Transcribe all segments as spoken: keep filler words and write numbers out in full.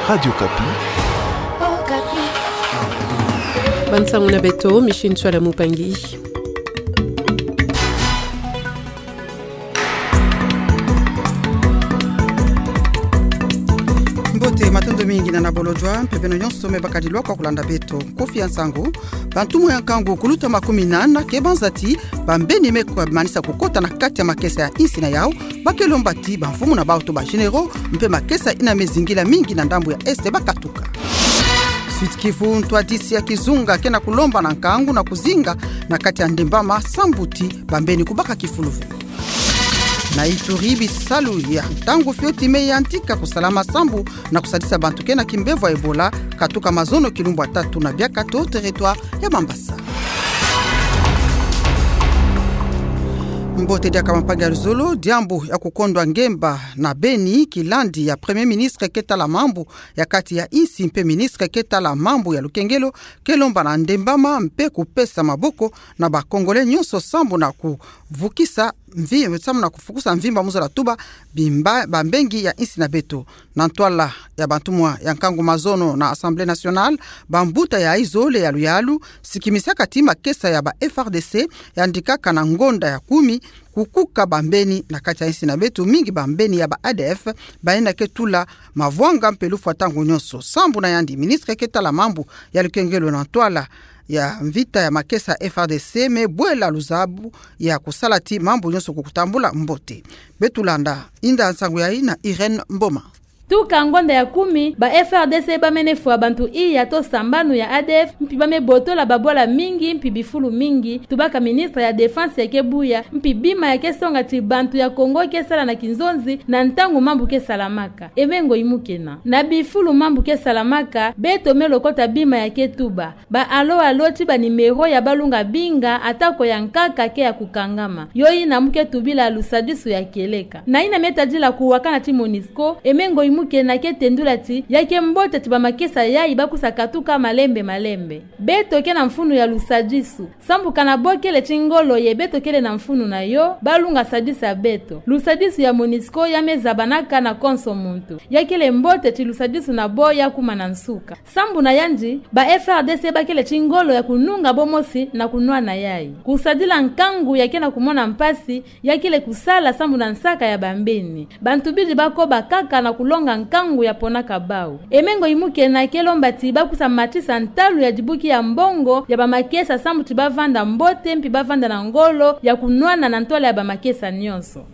Radio Okapi. Bansango na beto, Micheline Tchouala Moupangi. Mbote, matondo mingi na na bolojwa, mpe beno nyonso me bakadi lwa kwa kulanda beto. Kofi ya nsangu. Bantumwa ya nkangu kuluta makumi nana ke banza ti bambeni me kwe manisa kukota na kati ya makesa ya insi na yau, ba ke lomba ti bamfumu na bau to ba généraux, mpe makesa ina me zingila mingi na ndambu ya Est ba katuka. Sud-Kivu, ntwadisi ya kizunga ke na kulomba na nkangu na kuzinga na kati ya ndembama sambu ti bambeni kubaka kifulu ve. Na Ituri, bisalu ya ntangu fioti me yantika kusalama sambu na kusadisa bantu ke na kimbevo ya Ebola, katuka mazono kilumbu ya tatu na biakatu territoire ya Mambasa. Mbote, diaka mapangi ya luzolo. Diambu ya kukondwa ngemba na beni kilandi ya Premier Ministre ke tala mambu ya kati ya insi mpe Ministre ke tala mambu ya lukengelo ke lomba na ndembama mpe kupesa maboko na ba Congolais nyonso sambu na kuvukisa mvi-, sambu na kufukusa mvimba mu zola tuba bimba-, bambengi ya insi na beto. Na ntwala ya bantumwa ya nkangu mazono na Assemblée nationale, bambuta ya izole ya luyalu sikimisaka ti makesa ya ba F R D C yandikaka na ngonda ya kumi kukuka bambeni na kati ya insi na beto, mingi bambeni ya ba A D F, bayina ke tula mavwanga mpe lufwa ntangu nyonso. Sambu na yandi, Ministre ke tala mambu ya lukengelo na ntwala ya mvita ya makesa F R D C me bwela luzabu ya kusala ti mambu nyonso kukutambula mbote. Beto landa inda nsangu yayi na Irène Mboma. Tuka ngonda ya kumi, ba F R D C ba mene fwa bantu iya to sambanu ya A D F, mpi ba me botola babwala mingi, mpi bifulu mingi, tubaka Ministre ya Défense ya ke buya, mpi bima ya ke songa ti bantu ya Congo ke sala na kinzonzi, na ntangu mambu ke salamaka. E mengo imu kena. Na bifulu mambu ke salamaka, beto me lokota bima ya ke tuba. Ba alo alo ti ba numéro ya balunga binga, atako ya nkaka ke ya kukangama. Yo yina mu ke tubila lusadisu ya kieleka. Na yina me tadila kuwakana ti MONUSCO, e mengo imu kena ke tendula ti, ya ke mbote ti ba makesa yayi ba kusa katuka malembe malembe. Beto ke na mfunu ya lusadisu. Sambu ka na bo kele ti ngolo ye beto kele na mfunu na yo, balunga sadisa beto. Lusadisu ya MONUSCO ya me zabanaka na konso muntu. Ya kele mbote ti lusadisu na bo ya kuma na nsuka. Sambu na yandi, ba F R D C ba kele ti ngolo ya kununga bo mosi na kunwana yayi. Kusadila nkangu ya ke na kumona mpasi, ya kele kusala sambu na nsaka ya bambeni. Bantu bidi ba koba kaka na kulonga nkangu ya ponaka bau. E mengo imu kena ke lomba ti ba kusa matisa ntalu ya dibuki ya mbongo ya ba makesa sambu ti ba vanda mbote mpi ba vanda na ngolo ya kunwana na ntwala ya ba makesa nyonso.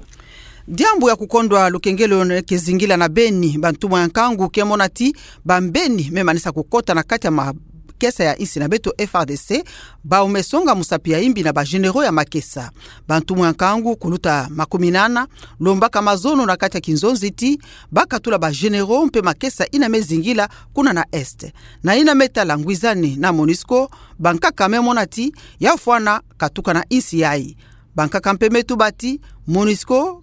Diambu ya kukondwa lukengelo ne ke zingila na beni, bantumwa ya nkangu ke mona ti bambeni me manisa kukota na kati ya makesa ya insi na beto F R D C, bau me songa musapi ya imbi na ba généraux ya makesa. Bantumwa ya nkangu kuluta makumi nana lombaka mazono na kati ya kinzonzi ti ba katula ba généraux mpe makesa ina me zingila kuna na Est. Na ina me tala ngwizani na MONUSCO, bankaka me mona ti ya fwana katuka na insi yayi. Bankaka mpe me tuba ti MONUSCO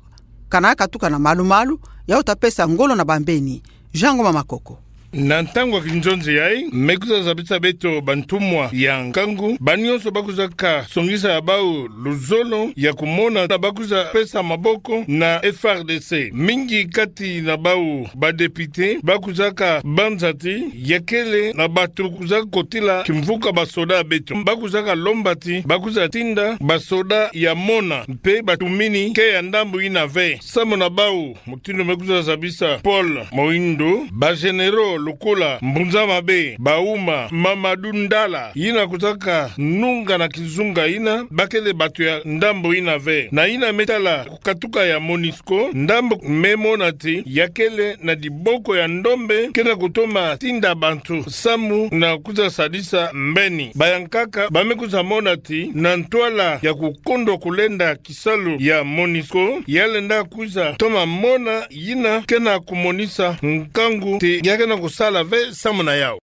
ka na katuka na malu-malu, ya uta pesa ngolo na bambeni. Jean Ngoma Makoko. Na ntangu ya kinzonzi yayi, me kusa zabisa beto bantumwa ya nkangu, ba nyonso ba kusa ka songisa ya bau luzolo ya kumona na ba kusa pesa maboko na F R D C. Mingi kati na bau ba députés ba kusa ka banza ti ya kele na bato kusa kotila kimvuka ba soda beto. Ba kusa ka lomba ti ba kusa tinda ba soda ya mona mpe ba tumini ke ya ndambu ina ve. Samu na bau, mutindu me kusa zabisa Paul Moindo, ba généraux lokola Mbunza Mabe, Bauma, Mamadou Ndala, ina kusa ka nunga na kizunga ina, ba kele bato ya ndambu ina ve. Na ina me tala kukatuka ya MONUSCO, ndambu me mona ti ya kele na diboko ya ndombe, ke na kutoma tinda bantu samu na kusa sadisa mbeni. Bayankaka ba me kusa mona ti na ntwala ya kukondwa kulenda kisalu ya MONUSCO, ya lenda kusa toma mona ina ke na kumonisa nkangu ti ya ke na kusala ve samu na yau.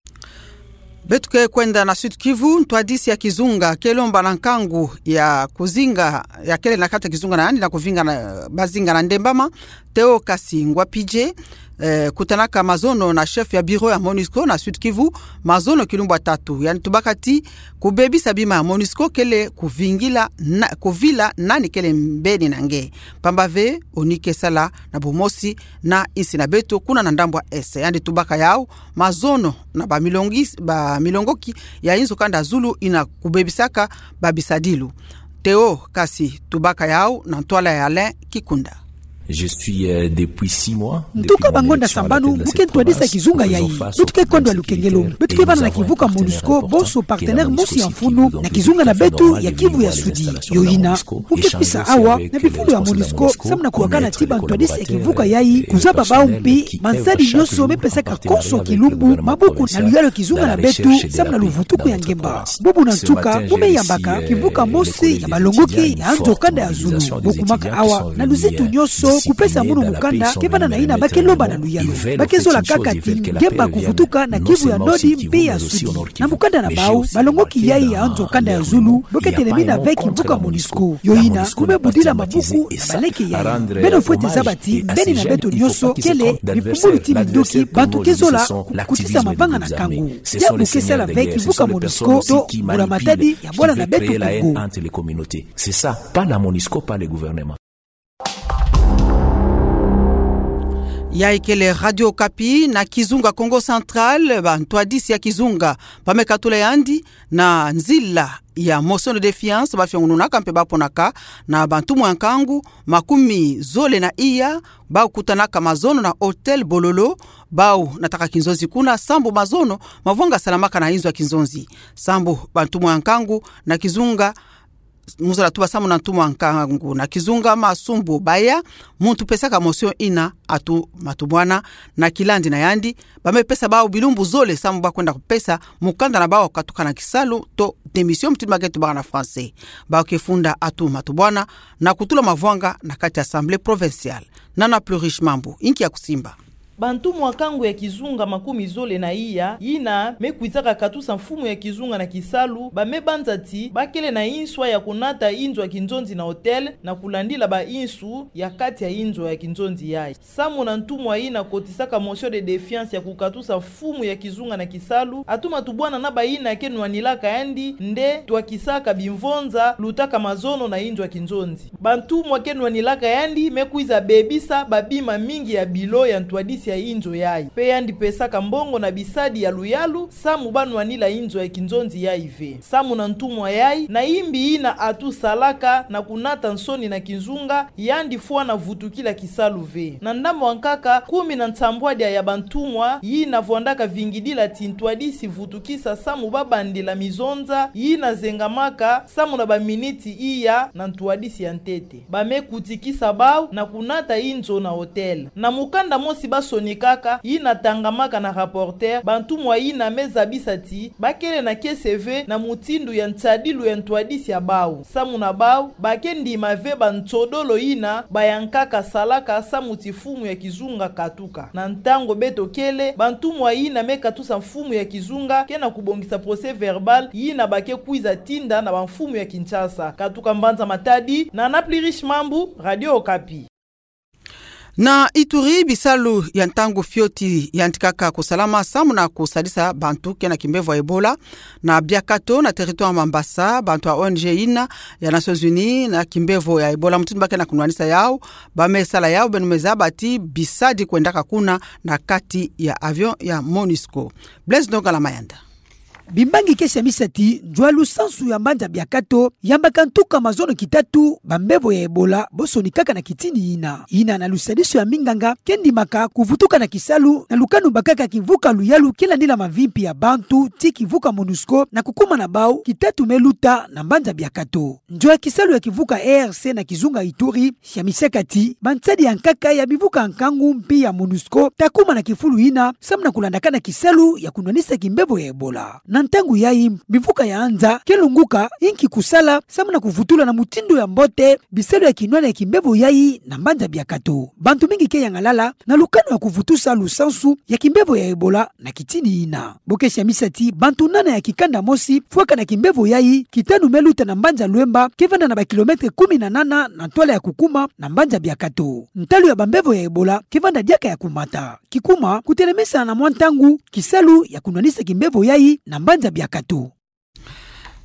Beto ke kwenda na Sud-Kivu, ntwadisi ya kizunga ke lomba na nkangu ya kuzinga, ya kele na kati ya kizunga na yandi na kuvinga na, bazinga na ndembama, Théocastie Ngwapidje, eh, kutanaka mazono na chef ya bureau ya MONUSCO na Sud-Kivu, mazono kilumbu ya tatu. Yandi tubaka ti kubebisa bima ya MONUSCO kele kuvingila na, kuvila nani kele mbeni na nge. Pamba ve, ONU ke sala na bumosi na insi na beto kuna na ndambu ya Est. Yandi tubaka yau, mazono na bamilongi-, bamilongoki ya inzo kanda ya zulu ina kubebisaka babisadilu. Théo Kasi tubaka yau na ntwala ya Alain Kikunda. Je suis, euh, depuis six mois, ntuka bangonda sambanu, mu ke ntwadisi ya kizunga yayi. Beto ke kondwa lukengelo. Beto ke vana na kivuka MONUSCO, bonso partenaire mosi ya mfunu na kizunga na beto ya Kivu ya Sudi. Yo ina, mu ke pisa awa na bifulu ya MONUSCO, samu na kuwakana ti bantwadisi ya kivuka yayi, kuzaba bau mpi mansadi nyonso me pesaka konso kilumbu maboko na luyalu ya kizunga na beto, samu na luvutuku ya ngemba. Bubu na ntuka, mu me yambaka kivuka mosi ya balongoki ya nzo kanda ya zulu. Bo kumaka awa na luzitu nyonso, kupesa munu mukanda, ke vana na ina ba ke lomba na luyalu. Ba ke zola kaka ti ngemba kuvutuka na Kivu ya Nodi mpe ya Sudi. Na mukanda na bau, balongoki yayi ya nzo kanda ya zulu, bo ke telemina ve kivuka MONUSCO. Yo ina, mu me budila mabuku na baleke yayi. Beno fwete zaba ti mbeni na beto nyonso kele bipumbulu ti minduki, bantu ke zola kukutisa mavanga na nkangu. Diabu ke sala ve kivuka MONUSCO to mbula-matadi ya bwala na beto Kongo. C'est ça, pas la MONUSCO, pas le gouvernement. Yayi kele Radio Okapi. Na kizunga Kongo Central, bantwadisi ya kizunga ba me katula yandi na nzila ya motion de défiance ba fiongununaka mpe ba ponaka na bantumwa ya nkangu makumi zole na iya, bau kutanaka mazono na hôtel Bololo, bau nataka kinzonzi kuna, sambu mazono mavwanga salamaka na inzo ya kinzonzi. Sambu bantumwa ya nkangu na kizunga, mu zola tuba sambu na ntumwa ya nkangu na kizunga Masumbu Baya, muntu pesaka motion ina atuma tubwana, na kilandi na yandi, ba me pesa bau bilumbu zole sambu ba kwenda kupesa mukanda na bau katuka na kisalu to démission, mutindu ba ke tubaka na français. Bau ke funda atuma tubwana na kutula mavwanga na kati ya Assemblée provinciale. Nana Plurish Mambu, inki ya kusimba. Bantumwa nkangu ya kizunga makumi zole na iya, yina me kwizaka katusa mfumu ya kizunga na kisalu, ba me banza ti ba kele na inswa ya kunata inzo ya kinzonzi na hôtel, na kulandila bainsu ya kati ya inzo ya kinzonzi yayi. Samu na ntumwa yina kotisaka motion de défiance ya kukatusa mfumu ya kizunga na kisalu, atuma tubwana na bayina ke nwanilaka yandi nde twakisaka bimvonza lutaka mazono na inzo ya kinzonzi. Bantumwa ke nwanilaka yandi me kwiza bebisa babima mingi ya bilo ya ntwadisi ya inzo yayi. Mpe yandi pesaka mbongo na bisadi ya luyalu, samu ba nwanila inzo ya kinzonzi yayi ve. Samu na ntumwa yayi, na imbi yina atu salaka na kunata nsoni na kizunga, yandi fwana vutukila kisalu ve. Na ndambu ya nkaka, kumi na nsambwadia ya bantumwa yina vwandaka vingidila ti ntwadisi vutukisa samu ba bandila mizonza yina zengamaka samu na baminiti iya na ntwadisi ya ntete. Ba me kutikisa bau na kunata inzo na hôtel. Na mukanda mosi ba sonikaka, yina tangamaka na Rapporteur, bantumwa yina me zabisa ti ba kele na kiese ve na mutindu ya nsadilu ya ntwadisi ya bau. Samu na bau, ba ke ndima ve bansodolo yina bayankaka salaka samu ti mfumu ya kizunga katuka. Na ntangu beto kele, bantumwa yina me katusa mfumu ya kizunga ke na kubongisa procès-verbal yina ba ke kwiza tinda na bamfumu ya Kinshasa. Katuka mbanza Matadi, Nana Plurish Mambu, Radio Okapi. Na Ituri, bisalu ya ntangu fioti yantikaka kusalama samu na kusadisa bantu ke na kimbevo ya Ebola. Na Biakato, na territoire Mambasa, bantu ya O N G yina ya Nations Unies na kimbevo ya Ebola, mutindu ba ke na kunwanisa yau, ba me sala yau, beno me zaba ti bisadi kwendaka kuna na kati ya avion ya MONUSCO. Blaise Ndongala Mayanda. Bimbangi ke siamisa ti nzwalu sansu ya mbanza Biakato yambaka ntuka mazono kitatu bambevo ya Ebola bo sonikaka na kitini yina. Yina na lusadisu ya minganga ke ndimaka kuvutuka na kisalu na lukanu bakaka kivuka luyalu ke landila mavimpi ya bantu ti kivuka MONUSCO na kukuma na bau kitatu me luta na mbanza Biakato. Nzo ya kisalu ya kivuka E A C na kizunga Ituri siamisaka ti bansadi ya nkaka ya bivuka ya nkangu mpi ya MONUSCO ta kuma na kifulu yina samu na kulandakana kisalu ya kunwanisa kimbevo ya Ebola. Na ntangu yayi, bimvuka ya anza ke lunguka, inki kusala samu na kuvutula na mutindu ya mbote bisalu ya kinwani ya kimbevo yayi na mbanza Biakato. Bantu mingi ke yangalala na lukanu ya kuvutusa lusansu ya kimbevo ya Ebola na kitini yina. Bokesi ya misamu ti bantu nana ya kikanda mosi fwaka na kimbevo yayi, kitanu me luta na mbanza Luemba, ke vanda na ba kilomètre kumi na nana na ntwala ya kukuma na mbanza Biakato. Ntalu ya bambevo ya Ebola ke vanda diaka ya kumata. Kikuma, kutelemesana na mwa ntangu kisalu ya kunwanisa kimbevo yayi na mbanza Biakato.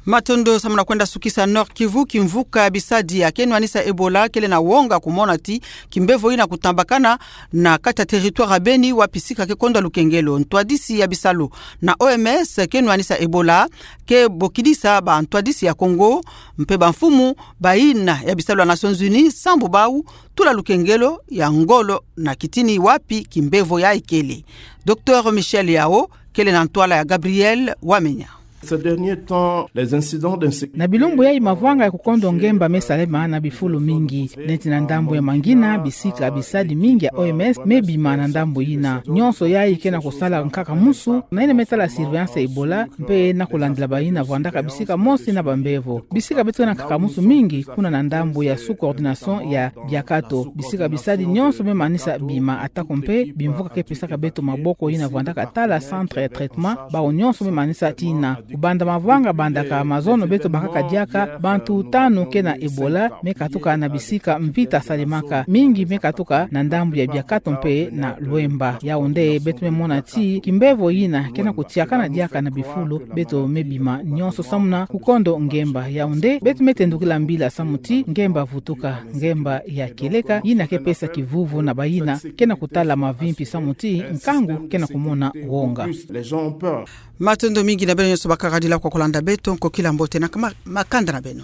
Matondo. Samu na kwenda sukisa Nord-Kivu, kimvuka ya bisadi ya kenwanisa Ebola kele na wonga kumona ti kimbevo yina kutambakana na kati ya territoire ya Beni, wapi sika ke kondwa lukengelo. Ntwadisi ya bisalu na O M S kenwanisa Ebola ke bokidisa bantwadisi ya Congo mpe bamfumu bayina ya bisalu ya Nations Unies sambu bau tula lukengelo ya ngolo na kitini wapi kimbevo yayi kele. Docteur Michel Yao kele na ntwala ya Gabriel Wamenya. Ces derniers temps, les incidents d'insécurité... Na bilumbu yayi, mavwanga ya kukondwa ngemba mesalema na bifulu mingi. Neti na ndambu ya Mangina, bisika bisadi mingi ya O M S mebima na ndambu yina. Nyonso yayi ke na kusala nkaka musu na yina metala surveillance ya Ebola, mpe na kulandila bayina vwandaka bisika mosi na bambevo. Bisika beto ke na nkaka musu mingi, kuna na ndambu ya sous-coordination ya Biakato. Bisika bisadi nyonso memanisa bima, atako mpe bimvuka ke pesaka beto maboko yina vwandaka tala centre ya traitement, bau nyonso memanisa tina. Kubanda mavwanga bandaka mazono beto bakaka diaka, bantu tanu ke na Ebola mekatuka na bisika mvita salemaka. Mingi mekatuka na ndambu ya Biakato mpe na Luemba. Yau nde beto memona ti kimbevo yina ke na kutiakana diaka na bifulu, beto mebima nyonso samu na kukondwa ngemba. Yau nde beto metendukila mbila samu ti ngemba vutuka, ngemba ya kieleka, yina ke pesa kivuvu na bayina ke na kutala mavimpi samu ti nkangu ke na kumona wonga. Matondo mingi na beno nyonso bakaka dila kwa kulanda beto, nkokila mbote na kama-, makanda na beno.